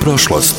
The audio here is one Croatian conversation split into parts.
prošlost.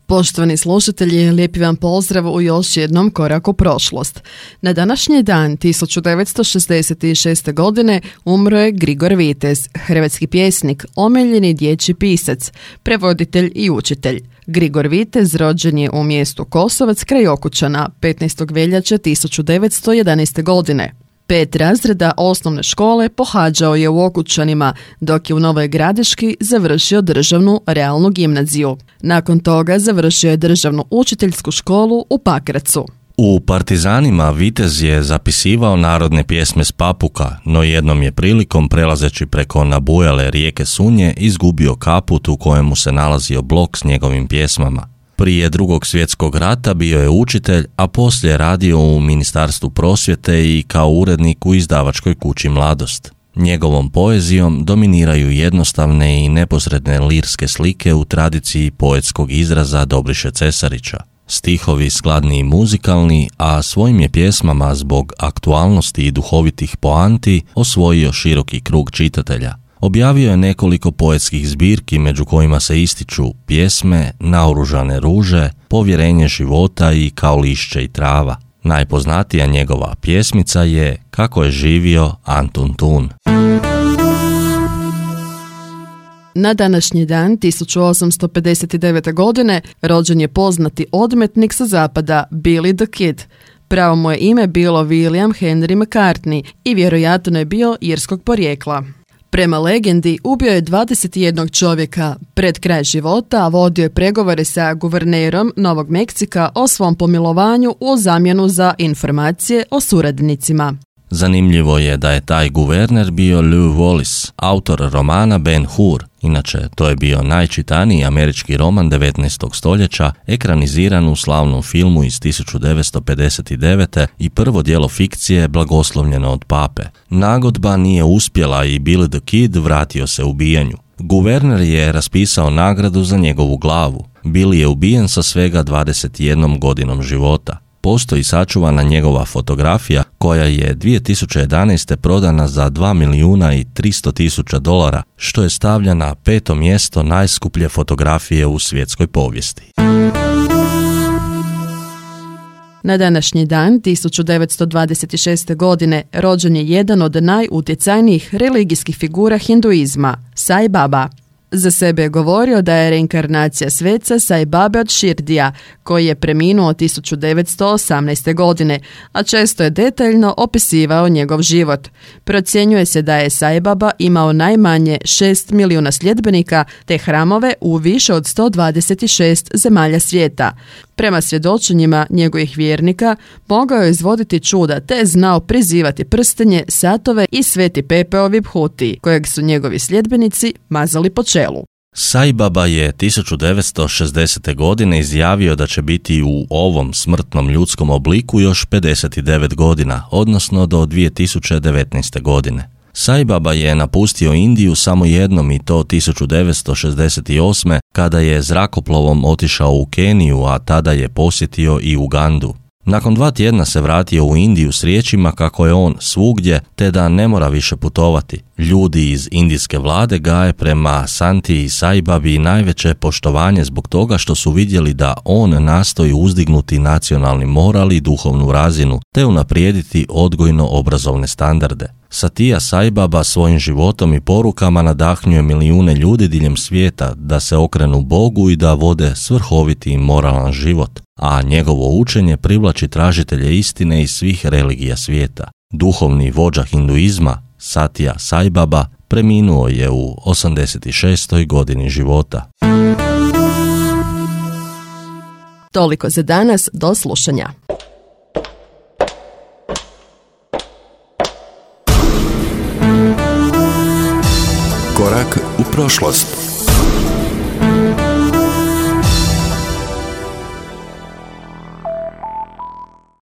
Poštovani slušatelji, lijepi vam pozdrav u još jednom koraku prošlost. Na današnji dan 1966. godine umro je Grigor Vitez, hrvatski pjesnik, omiljeni dječji pisac, prevoditelj i učitelj. Grigor Vitez rođen je u mjestu Kosovac kraj Okučana 15. veljače 1911. godine. 5 razreda osnovne škole pohađao je u Okučanima, dok je u Novoj Gradiški završio državnu realnu gimnaziju. Nakon toga završio je državnu učiteljsku školu u Pakracu. U Partizanima Vitez je zapisivao narodne pjesme s Papuka, no jednom je prilikom, prelazeći preko nabujale rijeke Sunje, izgubio kaput u kojemu se nalazio blok s njegovim pjesmama. Prije Drugog svjetskog rata bio je učitelj, a poslije radio u Ministarstvu prosvjete i kao urednik u izdavačkoj kući Mladost. Njegovom poezijom dominiraju jednostavne i neposredne lirske slike u tradiciji poetskog izraza Dobriše Cesarića. Stihovi skladni i muzikalni, a svojim je pjesmama zbog aktualnosti i duhovitih poanti osvojio široki krug čitatelja. Objavio je nekoliko poetskih zbirki među kojima se ističu pjesme Naoružane ruže, Povjerenje života i Kao lišće i trava. Najpoznatija njegova pjesmica je Kako je živio Antun Tun. Na današnji dan 1859. godine rođen je poznati odmetnik sa zapada Billy the Kid. Pravo mu je ime bilo William Henry McCartney i vjerojatno je bio irskog porijekla. Prema legendi, ubio je 21 čovjeka. Pred kraj života vodio je pregovore sa guvernerom Novog Meksika o svom pomilovanju u zamjenu za informacije o suradnicima. Zanimljivo je da je taj guverner bio Lew Wallace, autor romana Ben Hur. Inače, to je bio najčitaniji američki roman 19. stoljeća, ekraniziran u slavnom filmu iz 1959. i prvo djelo fikcije blagoslovljeno od pape. Nagodba nije uspjela i Billy the Kid vratio se ubijanju. Guverner je raspisao nagradu za njegovu glavu. Billy je ubijen sa svega 21 godinom života. Postoji sačuvana njegova fotografija koja je 2011. prodana za $2.300.000, što je stavlja na 5. mjesto najskuplje fotografije u svjetskoj povijesti. Na današnji dan 1926. godine rođen je jedan od najutjecajnijih religijskih figura hinduizma, Sai Baba. Za sebe je govorio da je reinkarnacija sveca Sai Babe od Širdija, koji je preminuo 1918. godine, a često je detaljno opisivao njegov život. Procjenjuje se da je Sai Baba imao najmanje 6 milijuna sljedbenika te hramove u više od 126 zemalja svijeta. Prema svjedočenjima njegovih vjernika, mogao je izvoditi čuda te je znao prizivati prstenje, satove i sveti pepeo vibhuti, kojeg su njegovi sljedbenici mazali po čelu. Sai Baba je 1960. godine izjavio da će biti u ovom smrtnom ljudskom obliku još 59 godina, odnosno do 2019. godine. Sai Baba je napustio Indiju samo jednom i to 1968. kada je zrakoplovom otišao u Keniju, a tada je posjetio i Ugandu. Nakon 2 tjedna se vratio u Indiju s riječima kako je on svugdje te da ne mora više putovati. Ljudi iz indijske vlade gaje prema Santi i Sai Babi najveće poštovanje zbog toga što su vidjeli da on nastoji uzdignuti nacionalni moral i duhovnu razinu te unaprijediti odgojno-obrazovne standarde. Satya Sai Baba svojim životom i porukama nadahnjuje milijune ljudi diljem svijeta da se okrenu Bogu i da vode svrhoviti i moralan život, a njegovo učenje privlači tražitelje istine iz svih religija svijeta. Duhovni vođa hinduizma, Satya Sai Baba, preminuo je u 86. godini života. Toliko za danas, do slušanja. Korak u prošlost.